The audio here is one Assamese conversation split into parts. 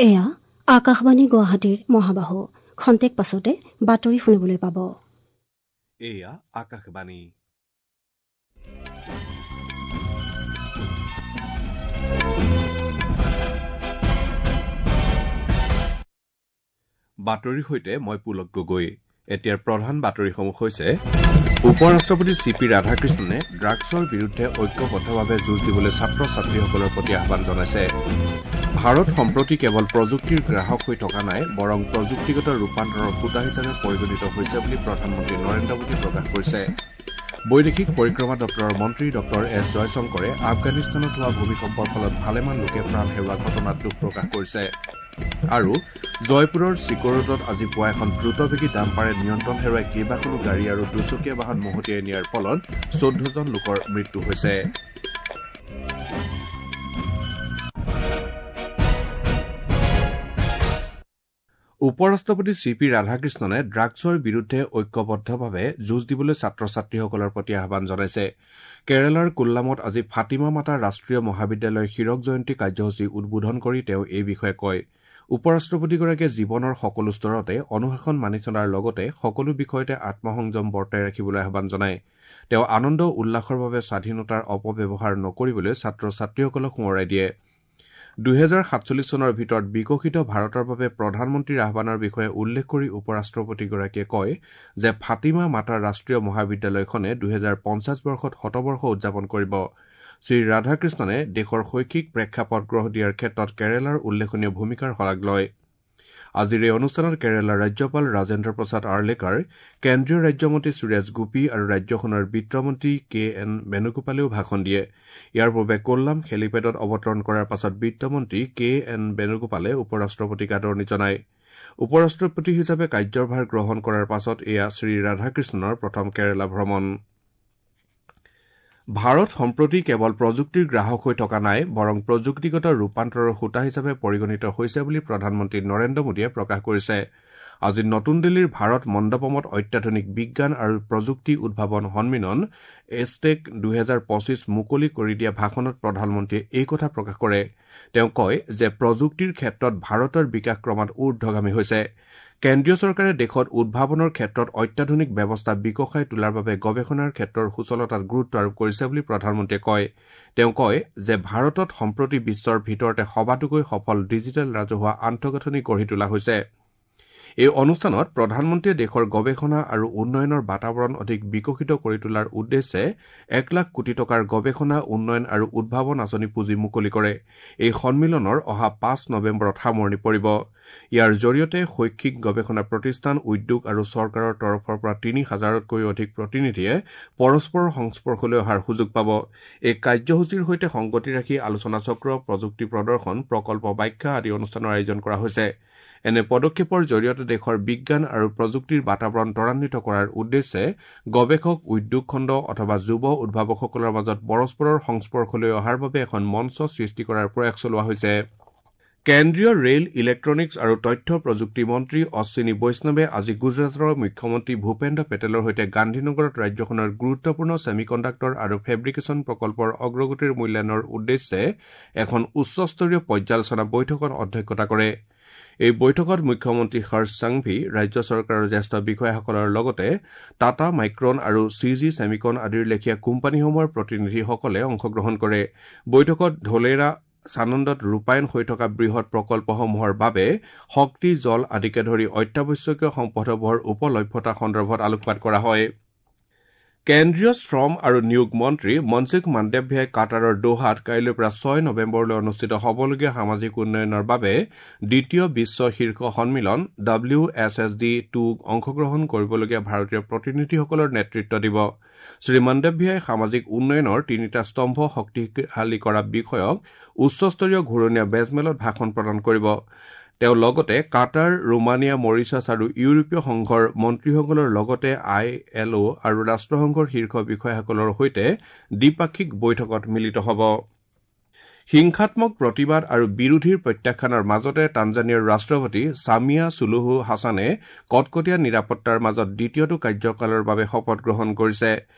এয়া আকাশবাণী গুৱাহাটীৰ মহাবাহু। খন্তেক পাছতে বাতৰি শুনিবলৈ পাব। এয়া আকাশবাণী। বাতৰিৰ সৈতে মই পুলক গগৈ। এতিয়াৰ প্ৰধান বাতৰিসমূহ হৈছে: উপ ৰাষ্ট্ৰপতি চি পি ৰাধাকৃষ্ণনে ড্ৰাগছৰ বিৰুদ্ধে ঐক্যবদ্ধভাৱে যুঁজ দিবলৈ ছাত্ৰ ছাত্ৰীসকলৰ প্ৰতি আহ্বান জনাইছে। ভাৰত সম্প্ৰতি কেৱল প্ৰযুক্তিৰ গ্ৰাহক হৈ থকা নাই, বৰং প্ৰযুক্তিগত ৰূপান্তৰৰ হোতা হিচাপে পৰিগণিত হৈছে বুলি প্ৰধানমন্ত্ৰী নৰেন্দ্ৰ মোদীয়ে প্ৰকাশ কৰিছে। বৈদেশিক পৰিক্ৰমা দপ্তৰৰ মন্ত্ৰী ডঃ এছ জয়শংকৰে আফগানিস্তানত হোৱা ভূমিকম্পৰ ফলত ভালেমান লোকে প্ৰাণ হেৰুওৱা ঘটনাত দুখ প্ৰকাশ কৰিছে। আৰু জয়পুৰৰ চিকৰোডত আজি পুৱা এখন দ্ৰুতবেগী ডাম্পাৰে নিয়ন্ত্ৰণ হেৰুৱাই কেইবাখনো গাড়ী আৰু দুচকীয়া বাহন মহতিয়াই নিয়াৰ ফলত ১৪জন লোকৰ মৃত্যু হৈছে। উপ ৰাষ্ট্ৰপতি চি পি ৰাধাকৃষ্ণনে ড্ৰাগছৰ বিৰুদ্ধে ঐক্যবদ্ধভাৱে যুঁজ দিবলৈ ছাত্ৰ ছাত্ৰীসকলৰ প্ৰতি আহ্বান জনাইছে। কেৰালাৰ কোল্লামত আজি ফাতিমা মাতা ৰাষ্ট্ৰীয় মহাবিদ্যালয়ৰ হীৰক জয়ন্তী কাৰ্যসূচী উদ্বোধন কৰি তেওঁ এই বিষয়ে কয়। উপ ৰাষ্ট্ৰপতিগৰাকীয়ে জীৱনৰ সকলো স্তৰতে অনুশাসন মানি চলাৰ লগতে সকলো বিষয়তে আত্মসংযম বৰ্তাই ৰাখিবলৈ আহ্বান জনায়। তেওঁ আনন্দ উল্লাসৰ বাবে স্বাধীনতাৰ অপব্যৱহাৰ নকৰিবলৈ ছাত্ৰ ছাত্ৰীসকলক সোঁৱৰাই দিয়ে। ২০৪৭ চনৰ ভিতৰত বিকশিত ভাৰতৰ বাবে প্ৰধানমন্ত্ৰীৰ আহ্বানৰ বিষয়ে উল্লেখ কৰি উপ ৰাষ্ট্ৰপতিগৰাকীয়ে কয় যে ফাতিমা মাতা ৰাষ্ট্ৰীয় মহাবিদ্যালয়খনে ২০৫০ বৰ্ষত শতবৰ্ষ উদযাপন কৰিব। শ্ৰীৰাধাকৃষ্ণনে দেশৰ শৈক্ষিক প্ৰেক্ষাপট গঢ় দিয়াৰ ক্ষেত্ৰত কেৰালাৰ উল্লেখনীয় ভূমিকাৰ শলাগ লয়। আজিৰ এই অনুষ্ঠানত কেৰালাৰ ৰাজ্যপাল ৰাজেন্দ্ৰ প্ৰসাদ আৰ্লেকাৰ, কেন্দ্ৰীয় ৰাজ্যমন্ত্ৰী সুৰেশ গোপী আৰু ৰাজ্যখনৰ বিত্তমন্ত্ৰী কে এন বেণুগোপালেও ভাষণ দিয়ে। ইয়াৰ পূৰ্বে কোল্লাম হেলিপেডত অৱতৰণ কৰাৰ পাছত বিত্তমন্ত্ৰী কে এন বেণুগোপালে উপ ৰাষ্ট্ৰপতিক আদৰণি জনায়। উপ ৰাষ্ট্ৰপতি হিচাপে কাৰ্যভাৰ গ্ৰহণ কৰাৰ পাছত এয়া শ্ৰীৰাধাকৃষ্ণনৰ প্ৰথম কেৰালা ভ্ৰমণ। ভাৰত সম্প্ৰতি কেৱল প্ৰযুক্তিৰ গ্ৰাহক হৈ থকা নাই, বৰং প্ৰযুক্তিগত ৰূপান্তৰৰ হোতা হিচাপে পৰিগণিত হৈছে বুলি প্ৰধানমন্ত্ৰী নৰেন্দ্ৰ মোদীয়ে প্ৰকাশ কৰিছে। আজি নতুন দিল্লীৰ ভাৰত মণ্ডপমত অত্যাধুনিক বিজ্ঞান আৰু প্ৰযুক্তি উদ্ভাৱন সন্মিলন এছটেক ২০২৫ মুকলি কৰি দিয়া ভাষণত প্ৰধানমন্ত্ৰীয়ে এই কথা প্ৰকাশ কৰে। তেওঁ কয় যে প্ৰযুক্তিৰ ক্ষেত্ৰত ভাৰতৰ বিকাশ ক্ৰমাৎ ঊৰ্ধগামী হৈছে। কেন্দ্ৰীয় চৰকাৰে দেশত উদ্ভাৱনৰ ক্ষেত্ৰত অত্যাধুনিক ব্যৱস্থা বিকশাই তোলাৰ বাবে গৱেষণাৰ ক্ষেত্ৰৰ সুচলতাত গুৰুত্ব আৰোপ কৰিছে বুলি প্ৰধানমন্ত্ৰীয়ে কয়। তেওঁ কয় যে ভাৰতত সম্প্ৰতি বিশ্বৰ ভিতৰতে সবাতোকৈ সফল ডিজিটেল ৰাজহুৱা আন্তঃগাঁথনি গঢ়ি তোলা হৈছে। এই অনুষ্ঠানত প্ৰধানমন্ত্ৰীয়ে দেশৰ গৱেষণা আৰু উন্নয়নৰ বাতাবৰণ অধিক বিকশিত কৰি তোলাৰ উদ্দেশ্যে ১ লাখ কোটি টকাৰ গৱেষণা, উন্নয়ন আৰু উদ্ভাৱন আঁচনি পুঁজি মুকলি কৰে। এই সন্মিলনৰ অহা ৫ নৱেম্বৰত সামৰণি পৰিব। ইয়াৰ জৰিয়তে শৈক্ষিক গৱেষণা প্ৰতিষ্ঠান, উদ্যোগ আৰু চৰকাৰৰ তৰফৰ পৰা ৩ হাজাৰতকৈও অধিক প্ৰতিনিধিয়ে পৰস্পৰৰ সংস্পৰ্শলৈ অহাৰ সুযোগ পাব। এই কাৰ্যসূচীৰ সৈতে সংগতি ৰাখি আলোচনাচক্ৰ, প্ৰযুক্তি প্ৰদৰ্শন, প্ৰকল্প ব্যাখ্যা আদি অনুষ্ঠানৰ আয়োজন কৰা হৈছে। এনে পদক্ষেপৰ জৰিয়তে দেশৰ বিজ্ঞান আৰু প্ৰযুক্তিৰ বাতাবৰণ ত্বৰান্বিত কৰাৰ উদ্দেশ্যে গৱেষক, উদ্যোগ খণ্ড অথবা যুৱ উদ্ভাৱকসকলৰ মাজত পৰস্পৰৰ সংস্পৰ্শলৈ অহাৰ বাবে এখন মঞ্চ সৃষ্টি কৰাৰ প্ৰয়াস চলোৱা হৈছে। কেন্দ্ৰীয় ৰেল, ইলেক্ট্ৰনিক্স আৰু তথ্য প্ৰযুক্তি মন্ত্ৰী অশ্বিনী বৈষ্ণৱে আজি গুজৰাটৰ মুখ্যমন্ত্ৰী ভূপেন্দ্ৰ পেটেলৰ সৈতে গান্ধীনগৰত ৰাজ্যখনৰ গুৰুত্বপূৰ্ণ ছেমিকণ্ডাক্টৰ আৰু ফেব্ৰিকেশ্যন প্ৰকল্পৰ অগ্ৰগতিৰ মূল্যায়নৰ উদ্দেশ্যে এখন উচ্চস্তৰীয় পৰ্যালোচনা বৈঠকত অধ্যক্ষতা কৰে। এই বৈঠকত মুখ্যমন্ত্ৰী হৰ্ষ সাংভি, ৰাজ্য চৰকাৰৰ জ্যেষ্ঠ বিষয়াসকলৰ লগতে টাটা মাইক্ৰন আৰু চি জি ছেমিকন আদিৰ লেখীয়া কোম্পানীসমূহৰ প্ৰতিনিধিসকলে অংশগ্ৰহণ কৰে। বৈঠকত ঢোলেৰা, চানন্দত ৰূপায়ণ হৈ থকা বৃহৎ প্ৰকল্পসমূহৰ বাবে শক্তি, জল আদিকে ধৰি অত্যাৱশ্যকীয় সম্পদসমূহৰ উপলভ্যতা সন্দৰ্ভত আলোকপাত কৰা হয়। কেন্দ্ৰীয় শ্ৰম আৰু নিয়োগ মন্ত্ৰী মনসুখ মাণ্ডৱিয়াই কাটাৰৰ দোহাত কাইলৈৰ পৰা ৬ নৱেম্বৰলৈ অনুষ্ঠিত হ'বলগীয়া সামাজিক উন্নয়নৰ বাবে দ্বিতীয় বিশ্ব শীৰ্ষ সন্মিলন ডব্লিউ এছ এছ ডি ২ক অংশগ্ৰহণ কৰিবলগীয়া ভাৰতীয় প্ৰতিনিধিসকলৰ নেতৃত্ব দিব। শ্ৰীমাণ্ডৱিয়াই সামাজিক উন্নয়নৰ তিনিটা স্তম্ভ শক্তিশালী কৰা বিষয়ক উচ্চস্তৰীয় ঘূৰণীয়া মেজমেলত ভাষণ প্ৰদান কৰিব। তেওঁ লগতে কাটাৰ, ৰোমানিয়া, মৰিচাছ আৰু ইউৰোপীয় সংঘৰ মন্ত্ৰীসকলৰ লগতে I L অ' আৰু ৰাষ্ট্ৰসংঘৰ শীৰ্ষ বিষয়াসকলৰ সৈতে দ্বিপাক্ষিক বৈঠকত মিলিত হ'ব। হিংসাত্মক প্ৰতিবাদ আৰু বিৰোধীৰ প্ৰত্যাখ্যানৰ মাজতে তাঞ্জানিয়াৰ ৰাষ্ট্ৰপতি ছামিয়া চুলুহু হাছানে কটকটীয়া নিৰাপত্তাৰ মাজত দ্বিতীয়টো কাৰ্যকালৰ বাবে শপত গ্ৰহণ কৰিছে।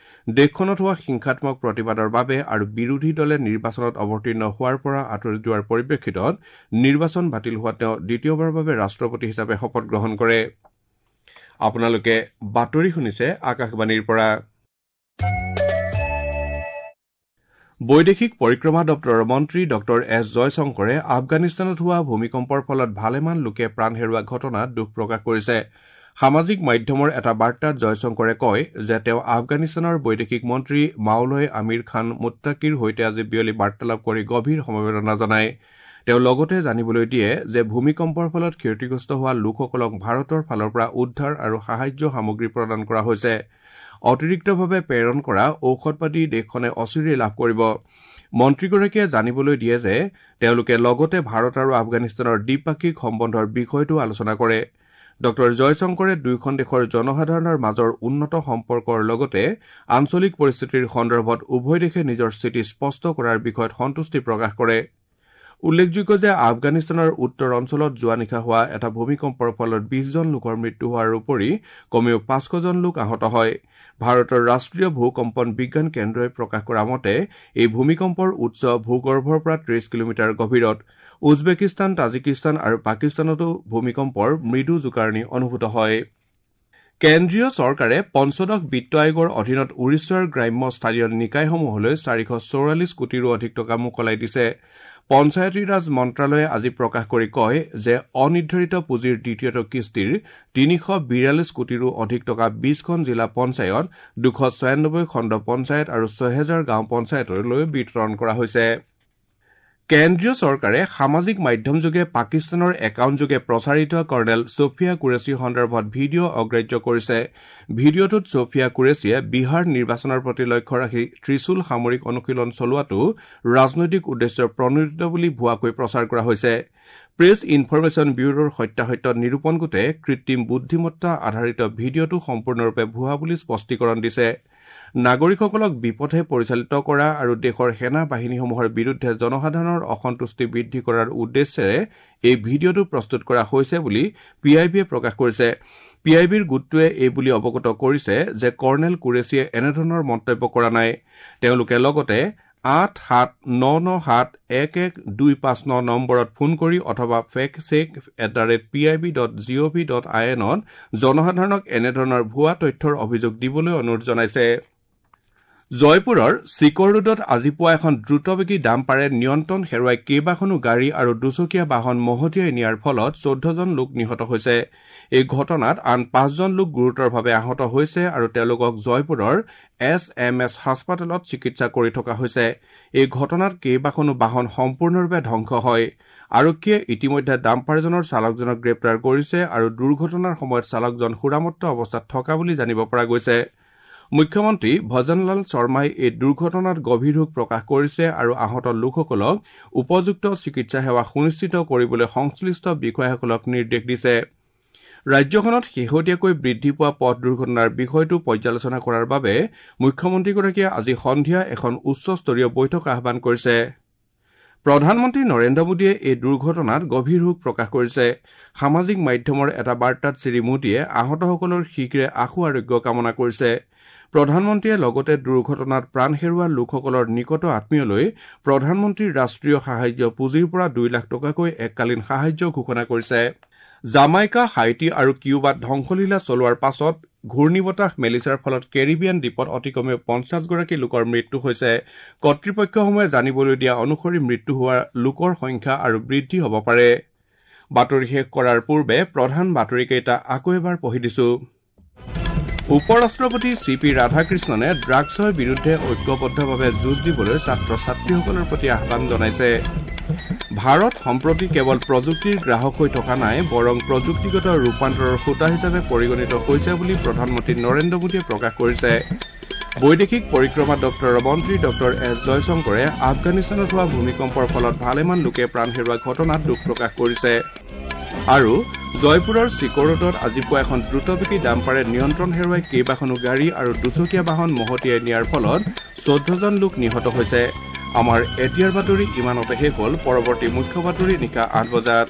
দেশখনত হোৱা হিংসাত্মক প্ৰতিবাদৰ বাবে আৰু বিৰোধী দলে নিৰ্বাচনত অৱতীৰ্ণ হোৱাৰ পৰা আঁতৰি যোৱাৰ পৰিপ্ৰেক্ষিতত নিৰ্বাচন বাতিল হোৱাত তেওঁ দ্বিতীয়বাৰৰ বাবে ৰাষ্ট্ৰপতি হিচাপে শপত গ্ৰহণ কৰে। আপোনালোকে বাতৰি শুনিছে আকাশবাণীৰ পৰা। বৈদেশিক পৰিক্ৰমা দপ্তৰৰ মন্ত্ৰী ডঃ এছ জয়শংকৰে আফগানিস্তানত হোৱা ভূমিকম্পৰ ফলত ভালেমান লোকে প্ৰাণ হেৰুওৱা ঘটনাত দুখ প্ৰকাশ কৰিছে। সামাজিক মাধ্যমৰ এটা বাৰ্তাত জয়শংকৰে কয় যে তেওঁ আফগানিস্তানৰ বৈদেশিক মন্ত্ৰী মাওলয় আমিৰ খান মুত্তাকিৰ সৈতে আজি বিয়লি বাৰ্তালাপ কৰি গভীৰ সমবেদনা জনায়। তেওঁ লগতে জানিবলৈ দিয়ে যে ভূমিকম্পৰ ফলত ক্ষতিগ্ৰস্ত হোৱা লোকসকলক ভাৰতৰ ফালৰ পৰা উদ্ধাৰ আৰু সাহায্য সামগ্ৰী প্ৰদান কৰা হৈছে। অতিৰিক্তভাৱে প্ৰেৰণ কৰা ঔষধ পাতি দেশখনে অচিৰেই লাভ কৰিব। মন্ত্ৰীগৰাকীয়ে জানিবলৈ দিয়ে যে তেওঁলোকে লগতে ভাৰত আৰু আফগানিস্তানৰ দ্বিপাক্ষিক সম্বন্ধৰ বিষয়টো আলোচনা কৰে। ডঃ জয়শংকৰে দুয়োখন দেশৰ জনসাধাৰণৰ মাজৰ উন্নত সম্পৰ্কৰ লগতে আঞ্চলিক পৰিস্থিতিৰ সন্দৰ্ভত উভয় দেশে নিজৰ স্থিতি স্পষ্ট কৰাৰ বিষয়ত সন্তুষ্টি প্ৰকাশ কৰে। উল্লেখযোগ্য যে আফগানিস্তানৰ উত্তৰ অঞ্চলত যোৱা নিশা হোৱা এটা ভূমিকম্পৰ ফলত ২০জন লোকৰ মৃত্যু হোৱাৰ উপৰি কমেও ৫০০জন লোক আহত হয়। ভাৰতৰ ৰাষ্ট্ৰীয় ভূকম্পন বিজ্ঞান কেন্দ্ৰই প্ৰকাশ কৰা মতে এই ভূমিকম্পৰ উৎস ভূগৰ্ভৰ পৰা ৩০ কিলোমিটাৰ গভীৰত। উজবেকিস্তান, তাজিকিস্তান আৰু পাকিস্তানতো ভূমিকম্পৰ মৃদু জোকাৰণি অনুভূত হয়। কেন্দ্ৰীয় চৰকাৰে পঞ্চদশ বিত্ত আয়োগৰ অধীনত উৰিষ্যাৰ গ্ৰাম্য স্থানীয় নিকায়সমূহলৈ ৪৪৪ কোটিৰো অধিক টকা মোকলাই দিছে। পঞ্চায়তীৰাজ মন্ত্ৰালয়ে আজি প্ৰকাশ কৰি কয় যে অনিৰ্ধাৰিত পুঁজিৰ দ্বিতীয়টো কিস্তিৰ ৩৪২ কোটিৰো অধিক টকা ২০খন জিলা পঞ্চায়ত, ২৯৬ খণ্ড পঞ্চায়ত আৰু ৬০০০ গাঁও পঞ্চায়তলৈ বিতৰণ কৰা হৈছে। কেন্দ্ৰীয় চৰকাৰে সামাজিক মাধ্যমযোগে পাকিস্তানৰ একাউণ্টযোগে প্ৰচাৰিত কৰ্ণেল ছফিয়া কুৰেশ্বীৰ সন্দৰ্ভত ভিডিঅ' অগ্ৰাহ্য কৰিছে। ভিডিঅ'টোত ছফিয়া কুৰেশ্বীয়ে বিহাৰ নিৰ্বাচনৰ প্ৰতি লক্ষ্য ৰাখি ত্ৰিশূল সামৰিক অনুশীলন চলোৱাটো ৰাজনৈতিক উদ্দেশ্য প্ৰণোদিত বুলি ভুৱাকৈ প্ৰচাৰ কৰা হৈছে। প্ৰেছ ইনফৰমেশ্যন ব্যুৰোৰ সত্যাসত্য নিৰূপণ গোটে কৃত্ৰিম বুদ্ধিমত্তা আধাৰিত ভিডিঅ'টো সম্পূৰ্ণৰূপে ভুৱা বুলি স্পষ্টীকৰণ দিছে। নাগৰিকসকলক বিপথে পৰিচালিত কৰা আৰু দেশৰ সেনা বাহিনীসমূহৰ বিৰুদ্ধে জনসাধাৰণৰ অসন্তুষ্টি বৃদ্ধি কৰাৰ উদ্দেশ্যেৰে এই ভিডিঅ'টো প্ৰস্তুত কৰা হৈছে বুলি পি আই বিয়ে প্ৰকাশ কৰিছে। পি আই বিৰ গোটটোৱে এই বুলি অৱগত কৰিছে যে কৰ্ণেল কুৰেশ্বীয়ে এনেধৰণৰ মন্তব্য কৰা নাই। তেওঁলোকে লগতে ৮৭৯৯৭১১২৫৯ নম্বৰত ফোন কৰি অথবা fact check @pib.gov.in ত জনসাধাৰণক এনেধৰণৰ ভুৱা তথ্যৰ অভিযোগ দিবলৈ অনুৰোধ জনাইছে। জয়পুৰৰ চিকৰ ৰোডত আজি পুৱা এখন দ্ৰুতবেগী ডাম্পাৰে নিয়ন্ত্ৰণ হেৰুৱাই কেইবাখনো গাড়ী আৰু দুচকীয়া বাহন মহতিয়াই নিয়াৰ ফলত ১৪জন লোক নিহত হৈছে। এই ঘটনাত আন ৫জন লোক গুৰুতৰভাৱে আহত হৈছে আৰু তেওঁলোকক জয়পুৰৰ এছ এম এছ হাস্পতালত চিকিৎসা কৰি থকা হৈছে। এই ঘটনাত কেইবাখনো বাহন সম্পূৰ্ণৰূপে ধ্বংস হয়। আৰক্ষীয়ে ইতিমধ্যে ডাম্পাৰজনৰ চালকজনক গ্ৰেপ্তাৰ কৰিছে আৰু দুৰ্ঘটনাৰ সময়ত চালকজন সুৰামত্ত অৱস্থাত থকা বুলি জানিব পৰা গৈছে। মুখ্যমন্ত্ৰী ভজনলাল শৰ্মাই এই দুৰ্ঘটনাত গভীৰ শোক প্ৰকাশ কৰিছে আৰু আহত লোকসকলক উপযুক্ত চিকিৎসা সেৱা সুনিশ্চিত কৰিবলৈ সংশ্লিষ্ট বিষয়াসকলক নিৰ্দেশ দিছে। ৰাজ্যখনত শেহতীয়াকৈ বৃদ্ধি পোৱা পথ দুৰ্ঘটনাৰ বিষয়টো পৰ্যালোচনা কৰাৰ বাবে মুখ্যমন্ত্ৰীগৰাকীয়ে আজি সন্ধিয়া এখন উচ্চস্তৰীয় বৈঠক আহ্বান কৰিছে। প্ৰধানমন্ত্ৰী নৰেন্দ্ৰ মোদীয়ে এই দুৰ্ঘটনাত গভীৰ শোক প্ৰকাশ কৰিছে। সামাজিক মাধ্যমৰ এটা বাৰ্তাত শ্ৰী মোদীয়ে আহতসকলৰ শীঘ্ৰে আশু আৰোগ্য কামনা কৰিছে। প্ৰধানমন্ত্ৰীয়ে লগতে দুৰ্ঘটনাত প্ৰাণ হেৰুওৱা লোকসকলৰ নিকট আত্মীয়লৈ প্ৰধানমন্ত্ৰীৰ ৰাষ্ট্ৰীয় সাহায্য পুঁজিৰ পৰা ২ লাখ টকাকৈ এককালীন সাহায্য ঘোষণা কৰিছে। জামাইকা, হাইটি আৰু কিউবাত ধ্বংসলীলা চলোৱাৰ পাছত ঘূৰ্ণীবতাহ মেলিছাৰ ফলত কেৰিবিয়ান দ্বীপত অতি কমেও ৫০গৰাকী লোকৰ মৃত্যু হৈছে। কৰ্তৃপক্ষসমূহে জানিবলৈ দিয়া অনুসৰি মৃত্যু হোৱা লোকৰ সংখ্যা আৰু বৃদ্ধি হ'ব পাৰে। বাতৰি শেষ কৰাৰ পূৰ্বে প্ৰধান বাতৰিকেইটা আকৌ এবাৰ পঢ়ি দিছো। উপ ৰাষ্ট্ৰপতি চি পি ৰাধাকৃষ্ণনে ড্ৰাগছৰ বিৰুদ্ধে ঐক্যবদ্ধভাৱে যুঁজ দিবলৈ ছাত্ৰ ছাত্ৰীসকলৰ প্ৰতি আহ্বান জনাইছে। ভাৰত সম্প্ৰতি কেৱল প্ৰযুক্তিৰ গ্ৰাহক হৈ থকা নাই, বৰং প্ৰযুক্তিগত ৰূপান্তৰৰ হোতা হিচাপে পৰিগণিত হৈছে বুলি প্ৰধানমন্ত্ৰী নৰেন্দ্ৰ মোদীয়ে প্ৰকাশ কৰিছে। বৈদেশিক পৰিক্ৰমা দপ্তৰৰ মন্ত্ৰী ডঃ এছ জয়শংকৰে আফগানিস্তানত হোৱা ভূমিকম্পৰ ফলত ভালেমান লোকে প্ৰাণ হেৰুওৱা ঘটনাত দুখ প্ৰকাশ কৰিছে। আৰু জয়পুৰৰ চিকৰোডত আজি পুৱা এখন দ্ৰুতবেগী ডাম্পাৰে নিয়ন্ত্ৰণ হেৰুৱাই কেইবাখনো গাড়ী আৰু দুচকীয়া বাহন মহতিয়াই নিয়াৰ ফলত ১৪জন লোক নিহত হৈছে। আমাৰ এতিয়াৰ বাতৰি ইমানতে শেষ হ'ল। পৰৱৰ্তী মুখ্য বাতৰি নিশা ৮ বজাত।